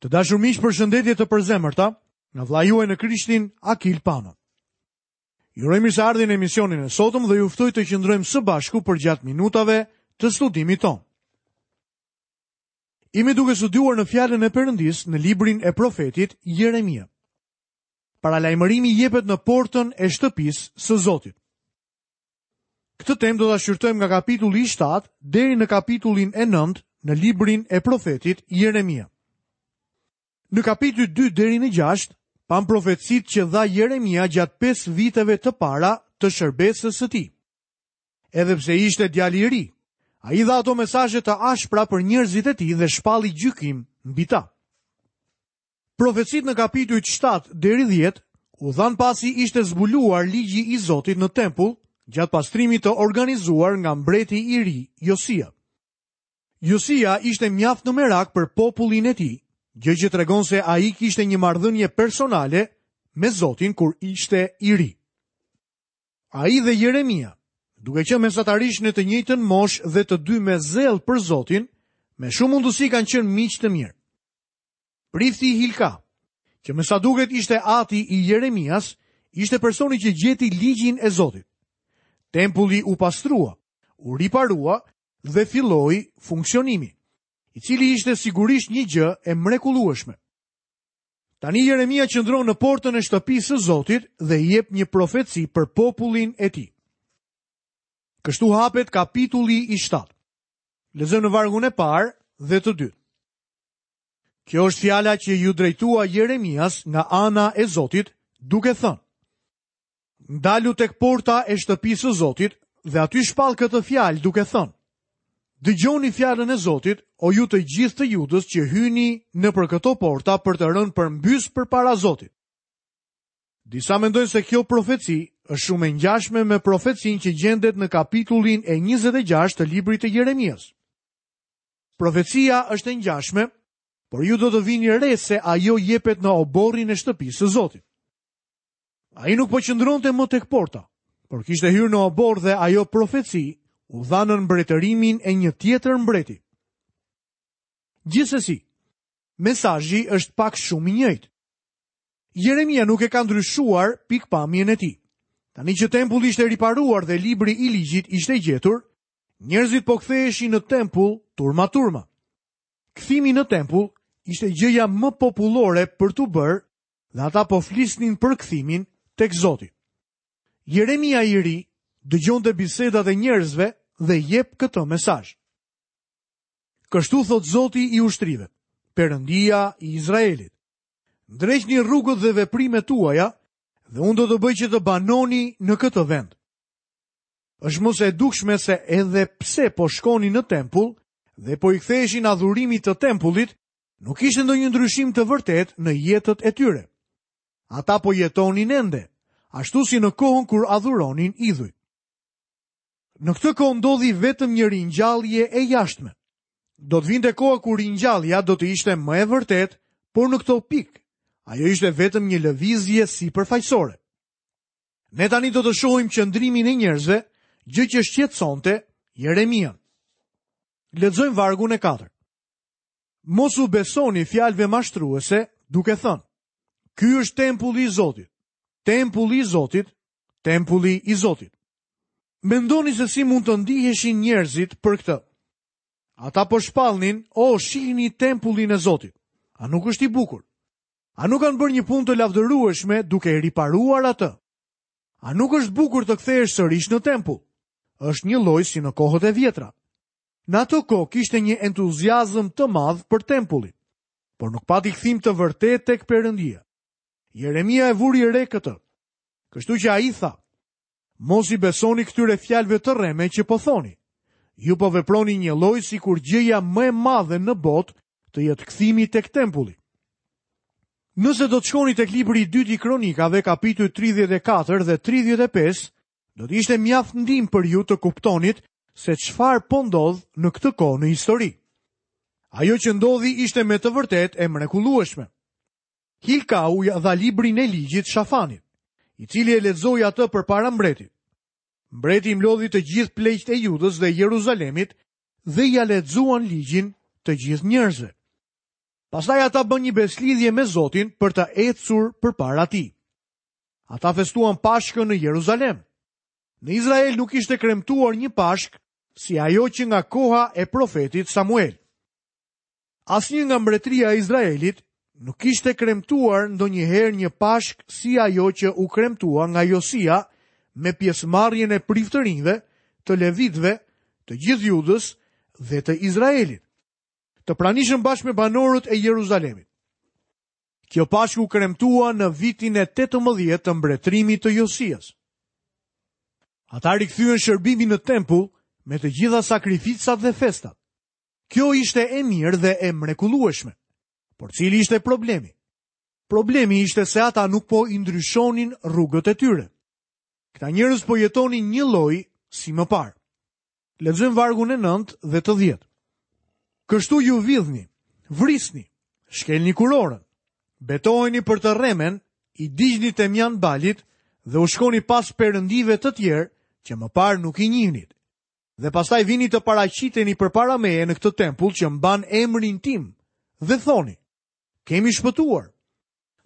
Të dashur miq, përshëndetje të përzemërta nga vëllai juaj në Krishtin Akil Pano. Ju uroj mirëseardhjen në emisionin e sotëm dhe ju ftoj të qëndrojmë së bashku përgjatë minutave të studimit tonë. Jemi duke studiuar në fjalën e Perëndisë në librin e profetit Jeremia. Paralajmërimi jepet në portën e shtëpisë së Zotit. Këtë temë do ta shqyrtojmë nga kapitulli i 7 deri në kapitullin e 9 në librin e profetit Jeremia. Në kapitujt 2 deri në 6 pamë profecitë që dha Jeremia gjatë 5 viteve të para të shërbesës së tij. Edhe pse ishte djalë i ri, ai dha ato mesazhe të ashpra për njerëzit e tij dhe shpalli gjykim mbi ta. Profecitë në kapitujt 7 deri 10 u dhanë pasi ishte zbuluar ligji i Zotit në tempull gjatë pastrimit të organizuar nga mbreti i ri Josia. Josia ishte mjaft në merak për popullin e tij, gjë që tregon se ai kishte një marrëdhënie personale me Zotin kur ishte i ri. Ai dhe Jeremia, duke qenë mesatarisht në të njëjtën moshë dhe të dy me zell për Zotin, me shumë mundësi kanë qenë miq të mirë. Prifti Hilka, që me sa duket ishte ati i Jeremias, ishte personi që gjeti ligjin e Zotit. Tempulli u pastrua, u riparua dhe filloi funksionimi, i cili ishte sigurisht një gjë e mrekullueshme. Tani Jeremia qëndron në portën e shtëpisë së Zotit dhe jep një profeci për popullin e tij. Kështu hapet kapitulli i 7. Lexojmë në vargun e parë dhe të dytë. Kjo është fjala që iu drejtua Jeremias nga ana e Zotit, duke thënë: Ndalu tek porta e shtëpisë së Zotit dhe aty shpall këtë fjalë duke thënë: Dëgjoni fjalën e Zotit, o ju të gjithë të Judës që hyni nëpër këto porta për të rënë përmbys përpara Zotit. Disa mendojnë se kjo profeci është shumë e ngjashme me profecinë që gjendet në kapitullin e 26 të librit të Jeremias. Profecia është e ngjashme, por ju do të vini re se ajo jepet në oborrin e shtëpisë së Zotit. Ai nuk po qëndronte më tek porta, por kishte hyrë në oborr dhe ajo profeci u dha nën mbretërimin e një tjetër mbreti. Gjithsesi, mesazhi është pak a shumë i njëjtë. Jeremia nuk e ka ndryshuar pikëpamjen e tij. Tani që tempulli ishte riparuar dhe libri i ligjit ishte gjetur, Njerëzit po ktheheshin në tempull turma turma. Kthimi në tempull ishte gjëja më popullore për t'u bërë dhe ata po flisnin për kthimin tek Zoti. Jeremia i ri dëgjonte bisedat e njerëzve dhe jep këtë mesazh. Kështu thotë Zoti i ushtrive, Perëndia i Izraelit. Ndreqni rrugët dhe veprimet tuaja dhe unë do të bëj që të banoni në këtë vend. Është më se e dukshme se edhe pse po shkonin në tempull dhe po i ktheheshin adhurimit të tempullit, nuk ishte ndonjë ndryshim të vërtetë në jetët e tyre. Ata po jetonin ende, ashtu si në kohën kur adhuronin idhujt. Në këtë kohë ndodhi vetëm një ringjallje e jashtme. Do të vinte koha kur ringjallja do të ishte më e vërtetë, por në këtë pikë, ajo ishte vetëm një lëvizje sipërfaqësore. Ne tani do të shohim qëndrimin e njerëzve, gjë që shqetësonte Jeremian. Lexojmë vargun e 4. Mos u besoni fjalëve mashtruese, duke thënë: Ky është tempulli i Zotit. Tempulli i Zotit, tempulli i Zotit. Mendoni se si mund të ndiheshin njerëzit për këtë. Ata po shpallnin, o shihni tempullin e Zotit. A nuk është i bukur? A nuk kanë bërë një punë të lavdërueshme duke e riparuar atë? A nuk është bukur të kthehesh sërish në tempull? Është njëlloj si në kohët e vjetra. Në ato kohë kishte një entuziazëm të madh për tempullin, por nuk pati kthim të vërtetë tek Perëndia. Jeremia e vuri re këtë. Kështu që ai tha: Mos i besoni këtyre fjalëve të rreme që po thoni. Ju po veproni njëlloj sikur gjëja më e madhe në botë të jetë kthimi tek tempulli. Nëse do të shkoni tek libri i dytë i Kronikave, kapitujt 34 dhe 35, do të ishte mjaft ndihmë për ju të kuptonit se çfarë po ndodh në këtë kohë në histori. Ajo që ndodhi ishte me të vërtetë e mrekullueshme. Hilkau ia dha librin e ligjit Shafanit, i cili e lexoi atë përpara mbretit. Mbreti i mblodhi të gjithë pleqtë e Judës dhe Jeruzalemit dhe ia lexuan ligjin të gjithë njerëzve. Pastaj ata bënë një besëlidhje me Zotin për të ecur përpara tij. Ata festuan Pashkën në Jeruzalem. Në Izrael nuk ishte kremtuar një Pashkë si ajo që nga koha e profetit Samuel. Asnjë nga mbretëria e Izraelit nuk kishte kremtuar ndonjëherë një Pashkë si ajo që u kremtua nga Josia me pjesëmarrjen e priftërinjve, të levitëve, të gjithë Judës dhe të Izraelit. Të pranishëm bashkë me banorët e Jeruzalemit. Kjo Pashkë u kremtua në vitin e 18 të mbretërimit të Josias. Ata rikthyen shërbimin në tempull me të gjitha sakrificat dhe festat. Kjo ishte e mirë dhe e mrekullueshme. Por cili ishte problemi? Problemi ishte se ata nuk po i ndryshonin rrugët e tyre. Këta njerëz po jetonin njëlloj si më parë. Lexojmë vargun e 9 dhe të 10. Kështu ju vidhni, vrisni, shkelni kurorën, betoheni për të rremen, i digjni temjan Balit dhe u shkoni pas perëndive të tjerë që më parë nuk i njihnit. Dhe pastaj vini të paraqiteni përpara meje në këtë tempull që mban emrin tim dhe thoni, kemi shpëtuar.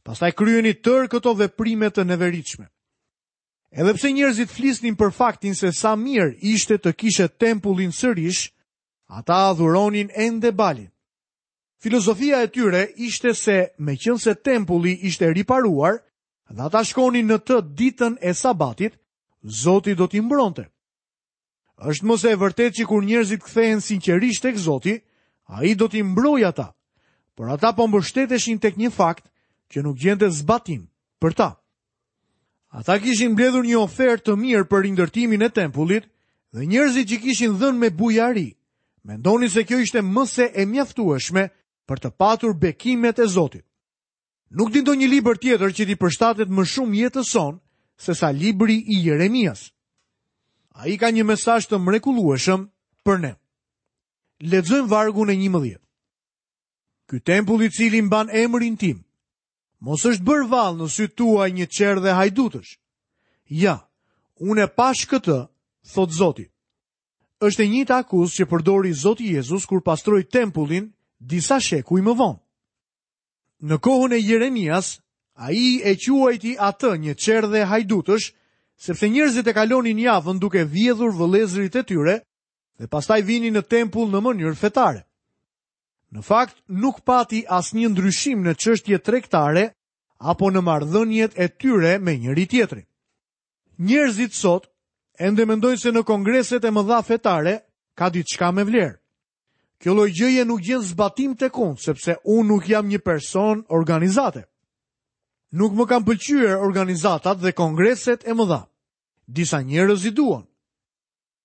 Pastaj kryeni tërë këto veprime të neveritshme. Edhe pse njerëzit flisnin për faktin se sa mirë ishte të kishe tempullin sërish, ata adhuronin ende Balin. Filozofia e tyre ishte se meqenëse tempulli ishte riparuar dhe ata shkonin në të ditën e sabatit, Zoti do t'i mbronte. Është më se e vërtetë që kur njerëzit kthehen sinqerisht tek Zoti, ai do t'i mbrojë ata. Por ata po mbështeteshin tek një fakt që nuk gjente zbatim për ta. Ata kishin mbledhur një ofertë të mirë për rindërtimin e tempullit dhe njerëzit që kishin dhënë me bujari, mendonin se kjo ishte më se e mjaftueshme për të patur bekimet e Zotit. Nuk di ndonjë libër tjetër që t'i përshtatet më shumë jetës sonë sesa libri i Jeremias. Ai ka një mesazh të mrekullueshëm për ne. Lexojmë vargun e 11. Ky tempull i cili mban emrin tim, mos është bërë vallë në sytë tuaj një çerdhe hajdutësh. Ja, unë e pashë këtë, thotë Zoti. Është e njëjta akuzë që përdori Zoti Jezus kur pastroi tempullin disa shekuj më vonë. Në kohën e Jeremias, ai e quajti atë një çerdhe hajdutësh, sepse njerëzit e kalonin javën duke vjedhur vëllezërit e tyre dhe pastaj vinin në tempull në mënyrë fetare. Në fakt, nuk pati asnjë ndryshim në çështje tregtare apo në marrëdhëniet e tyre me njëri-tjetrin. Njerëzit sot ende mendojnë se në kongreset e mëdha fetare ka diçka me vlerë. Kjo lloj gjëje nuk gjen zbatim tek unë, sepse unë nuk jam një person organizate. Nuk më kanë pëlqyer organizatat dhe kongreset e mëdha. Disa njerëz i duan.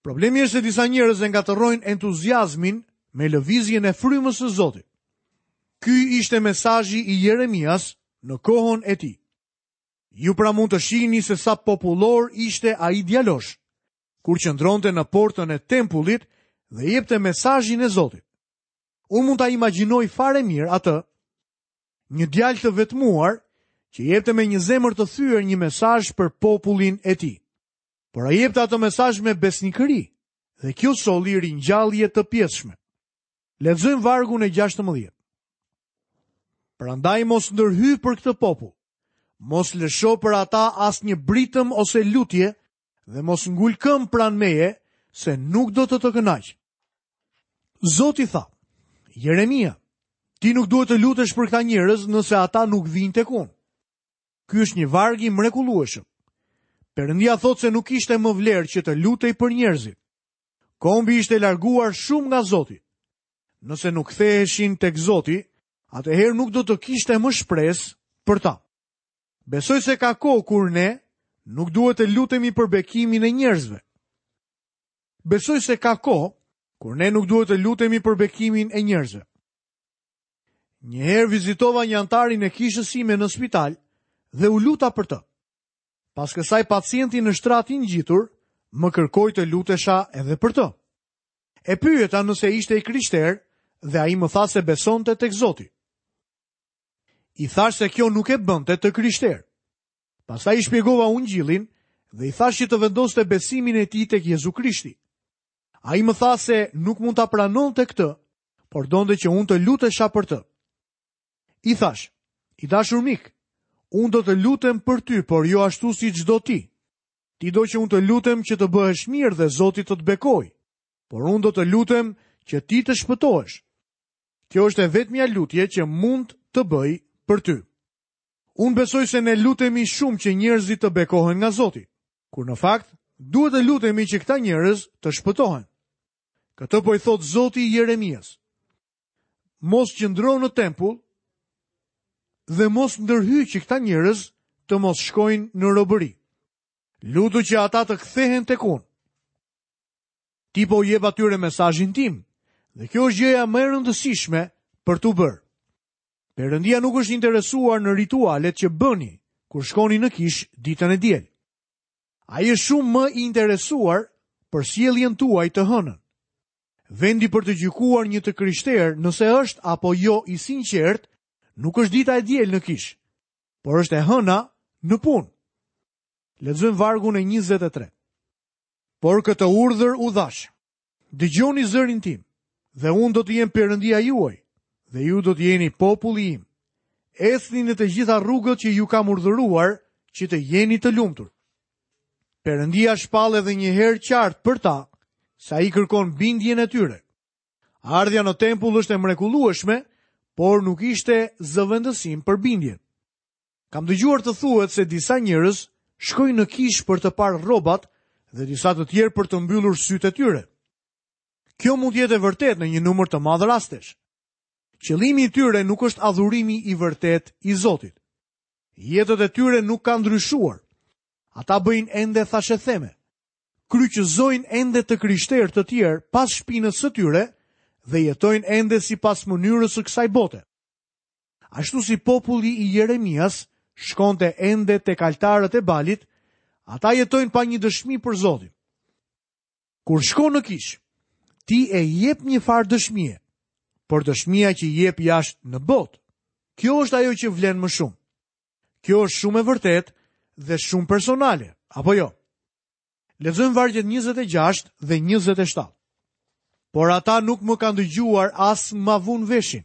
Problemi është se disa njerëz e ngatërrojnë entuziazmin me lëvizjen e frymës së Zotit. Ky ishte mesazhi i Jeremias në kohën e tij. Ju pra mund të shihni se sa popullor ishte ai djalosh, kur qëndronte në portën e tempullit dhe jepte mesazhin e Zotit. Unë mund ta imagjinoj fare mirë atë, një djalë të vetmuar që jepte me një zemër të thyer një mesazh për popullin e tij. Por ai jepte atë mesazh me besnikëri dhe kjo solli ringjallje të pjesshme. Lexojmë vargun e 16. Prandaj mos ndërhy për këtë popull. Mos lësho për ata asnjë britëm ose lutje dhe mos ngul këmbë pranë meje, se nuk do të të kënaq. Zoti tha, Jeremia, ti nuk duhet të lutesh për këta njerëz nëse ata nuk vijnë tek unë. Ky është një varg i mrekullueshëm. Perëndia thotë se nuk kishte më vlerë që të lutej për njerëzit. Kombi ishte larguar shumë nga Zoti. Nëse nuk ktheheshin tek Zoti, atëherë nuk do të kishte më shpresë për ta. Besoj se ka kohë kur ne nuk duhet të lutemi për bekimin e njerëzve. Besoj se ka kohë kur ne nuk duhet të lutemi për bekimin e njerëzve. Një herë vizitova një anëtarin e kishës sime në spital dhe u luta për të. Pas kësaj pacienti në shtratin ngjitur më kërkoi të lutesha edhe për të. E pyeta nëse ishte i krishterë dhe ai më tha se besonte tek Zoti. I thashë se kjo nuk e bënte të krishterë. Pastaj i shpjegova ungjillin dhe i thashë që të vendoste besimin e tij tek Jezu Krishti. Ai më tha se nuk mund ta pranonte këtë, por donte që unë të lutesha për të. I thashë, i dashur mik, unë do të lutem për ty, por jo ashtu siç do ti. Ti do që unë të lutem që të bëhesh mirë dhe Zoti të të bekojë, por unë do të lutem që ti të shpëtohesh. Kjo është e vetmja lutje që mund të bëj për ty. Unë besoj se ne lutemi shumë që njerëzit të bekohen nga Zoti, kur në fakt duhet të lutemi që këta njerëz të shpëtohen. Këtë po i thotë Zoti Jeremias. Mos qëndro në tempull dhe mos ndërhy që këta njerëz të mos shkojnë në robëri. Lutu që ata të kthehen tek unë. Ti po u jep atyre mesazhin tim dhe kjo është gjëja më e rëndësishme për t'u bërë. Perëndia nuk është interesuar në ritualet që bëni kur shkoni në kishë ditën e diel. Ai është shumë më i interesuar për sjelljen tuaj të hënën. Vendi për të gjykuar një të krishterë nëse është apo jo i sinqertë, nuk është dita e diel në kishë, por është e hëna në punë. Lexojmë vargun e 23. Por këtë urdhër u dhashë. Dëgjoni zërin tim, dhe unë do të jem Perëndia juaj, dhe ju do të jeni populli im. Ecni në të gjitha rrugët që ju kam urdhëruar, që të jeni të lumtur. Perëndia shpall edhe një herë qartë për ta se ai kërkon bindjen e tyre. Ardhja në tempull është e mrekullueshme, por nuk ishte zëvendësim për bindjen. Kam dëgjuar të thuhet se disa njerëz shkojnë në kishë për të parë rrobat dhe disa të tjerë për të mbyllur sytë e tyre. Kjo mund të jetë e vërtetë në një numër të madh rastesh. Qëllimi i tyre nuk është adhurimi i vërtetë i Zotit. Jetët e tyre nuk kanë ndryshuar. Ata bëjnë ende thashetheme. Kryqëzojnë ende të krishterë të tjerë pas shpinës së tyre dhe jetojnë ende sipas mënyrës së kësaj bote. Ashtu si populli i Jeremias shkonte ende tek altarët e Balit, ata jetojnë pa një dëshmi për Zotin. Kur shkon në kishë, ti e jep një farë dëshmie, por dëshmia që jep jashtë në botë, kjo është ajo që vlen më shumë. Kjo është shumë e vërtetë dhe shumë personale, apo jo? Lexojmë vargjet 26 dhe 27. Por ata nuk më kanë dëgjuar as ma vunë veshin.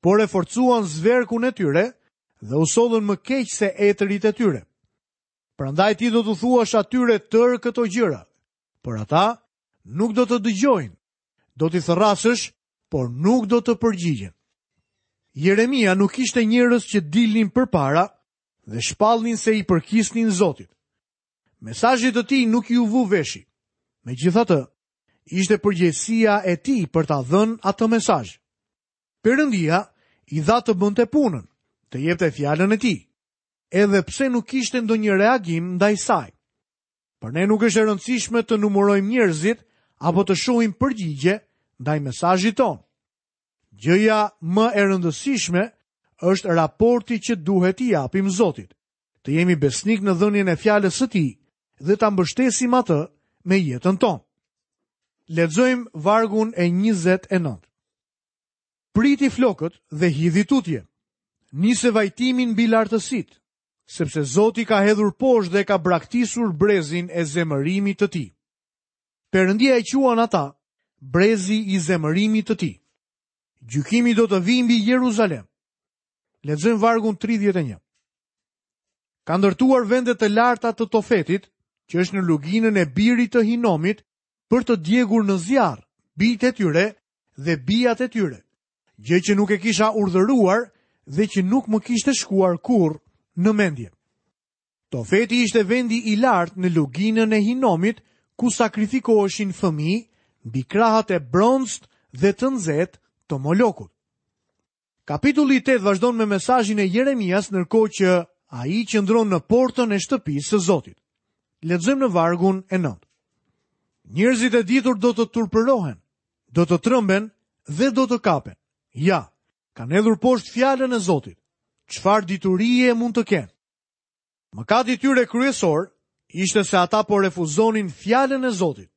por e forcuan zverkun e tyre dhe u sollën më keq se etërit e tyre. Prandaj ti do t'u thuash atyre tërë këto gjëra, por ata nuk do të dëgjojnë, do t'i thërrasësh, por nuk do të përgjigjen. Jeremia nuk kishte njerëz që dilnin përpara dhe shpallnin se i përkisnin Zotit. Mesazhit të tij nuk iu vu veshi. Megjithatë, ishte përgjegjësia e tij për ta dhënë atë mesazh. Perëndia i dha të bënte punën, të jepte fjalën e tij, edhe pse nuk kishte ndonjë reagim ndaj saj. Për ne nuk është e rëndësishme të numërojmë njerëzit apo të shohim përgjigje ndaj mesazhit tonë. Gjëja më e rëndësishme është raporti që duhet t'i japim Zotit. Të jemi besnikë në dhënien e fjalës së tij dhe ta mbështesim atë me jetën tonë. Lexojmë vargun e 29. Priti flokët dhe hidhi tutje. Nise vajtimin mbi lartësitë, sepse Zoti ka hedhur poshtë dhe ka braktisur brezin e zemërimit të tij. Perëndia e quan ata brezi i zemërimit të tij. Gjykimi do të vijë mbi Jeruzalem. Lexojmë vargun 31. Ka ndërtuar vende të larta të Tofetit, që është në luginën e birit të Hinomit, për të djegur në zjarr bijtë e tyre dhe bijat e tyre, gjë që nuk e kisha urdhëruar dhe që nuk më kishte shkuar kurrë në mendje. Tofeti ishte vendi i lartë në luginën e Hinomit ku sakrifikoheshin fëmijë mbi krahët e bronztë dhe të nxehtë të Molokut. Kapitulli i 8 vazhdon me mesazhin e Jeremias ndërkohë që ai qëndron në portën e shtëpisë së Zotit. Lexojmë në vargun e 9. Njerëzit e ditur do të turpërohen, do të tremben dhe do të kapen. Ja, kanë hedhur poshtë fjalën e Zotit. Çfarë diturie mund të kenë? Mëkati i tyre kryesor ishte se ata po refuzonin fjalën e Zotit.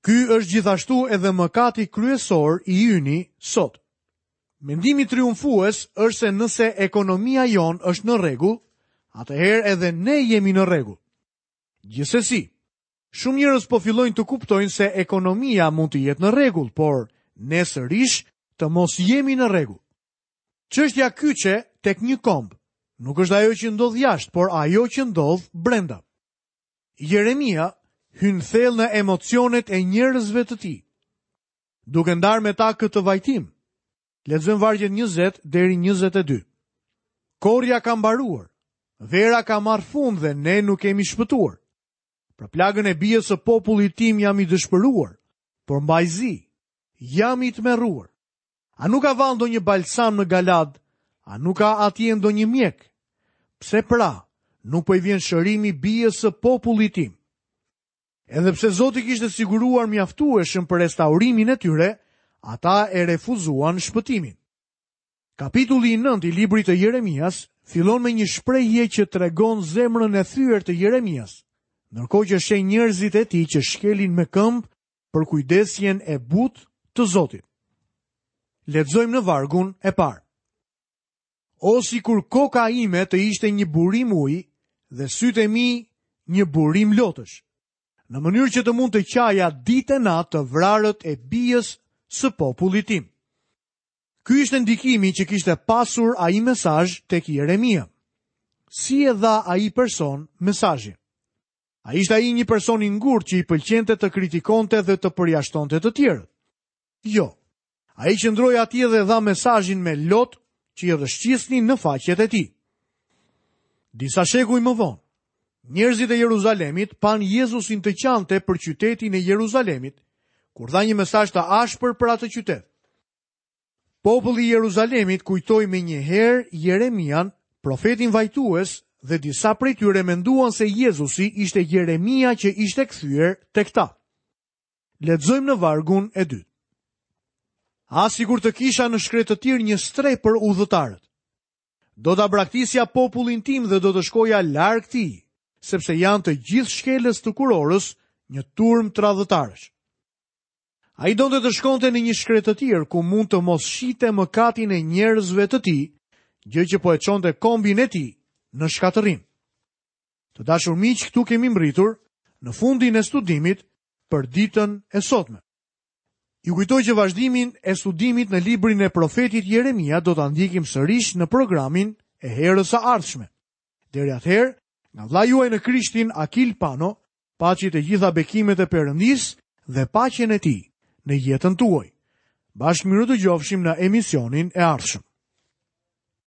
Ky është gjithashtu edhe mëkati kryesor i yni sot. Mendimi triumfues është se nëse ekonomia jonë është në rregull, atëherë edhe ne jemi në rregull. Gjithsesi, shumë njerëz po fillojnë të kuptojnë se ekonomia mund të jetë në rregull, por ne sërish të mos jemi në rregull. Çështja kyçe tek një komb nuk është ajo që ndodh jashtë, por ajo që ndodh brenda. Jeremia hyn thellë në emocionet e njerëzve të tij, duke ndarë me ta këtë vajtim. Lexojmë vargjet 20 deri 22. Korrja ka mbaruar, vera ka marrë fund dhe ne nuk kemi shpëtuar. Për plagën e bijës së popullit tim jam i dëshpëruar, por mbaj zi, jam i tmerruar. A nuk ka vallë ndonjë balsam në Galaad? A nuk ka atje ndonjë mjek? Pse pra, nuk po i vjen shërimi bijës së popullit tim? Edhe pse Zoti kishte siguruar mjaftueshëm për restaurimin e tyre, ata e refuzuan shpëtimin. Kapitulli i 9 i librit të Jeremias fillon me një shprehje që tregon zemrën e thyer të Jeremias, ndërkohë që sheh njerëzit e tij që shkelin me këmbë përkujdesjen e butë të Zotit. Lexojmë në vargun e parë. O sikur koka ime të ishte një burim uji dhe sytë e mi një burim lotësh, në mënyrë që të mund të qaja ditë e natë të vrarët e bijës së popullit tim. Ky ishte ndikimi që kishte pasur ai mesazh tek Jeremia. Si e dha ai person mesazhin? A ishte ai një person i ngurtë që i pëlqente të kritikonte dhe të përjashtonte të tjerët? Jo. Ai qëndroi atje dhe dha mesazhin me lot që i rrëshqisnin në faqet e tij. Disa shekuj më vonë, njerëzit e Jeruzalemit panë Jezusin të qante për qytetin e Jeruzalemit, kur dha një mesazh të ashpër për atë qytet. Populli i Jeruzalemit kujtoi menjëherë Jeremian, profetin vajtues, dhe disa prej tyre menduan se Jezusi ishte Jeremia që ishte kthyer tek ta. Lexojmë në vargun e dytë. Ah, sikur të kisha në shkretëtirë një strehë për udhëtarët. Do ta braktisja popullin tim dhe do të shkoja larg tij, sepse janë të gjithë shkelës të kurorës, një turmë tradhëtarësh. Ai donte të shkonte në një shkretëtirë ku mund të mos shihte mëkatin e njerëzve të tij, gjë që po e çonte kombin e tij në shkatërrim. Të dashur miq, këtu kemi mbërritur në fundin e studimit për ditën e sotme. Ju kujtoj që vazhdimin e studimit në librin e profetit Jeremia do ta ndjekim sërish në programin e herës së ardhshme. Deri atëherë, nga vëllai juaj në Krishtin Akil Pano, Paçi të gjitha bekimet e Perëndisë dhe paqen e tij në jetën tuaj. Bashkë mirudëgjofshim në emisionin e ardhshëm.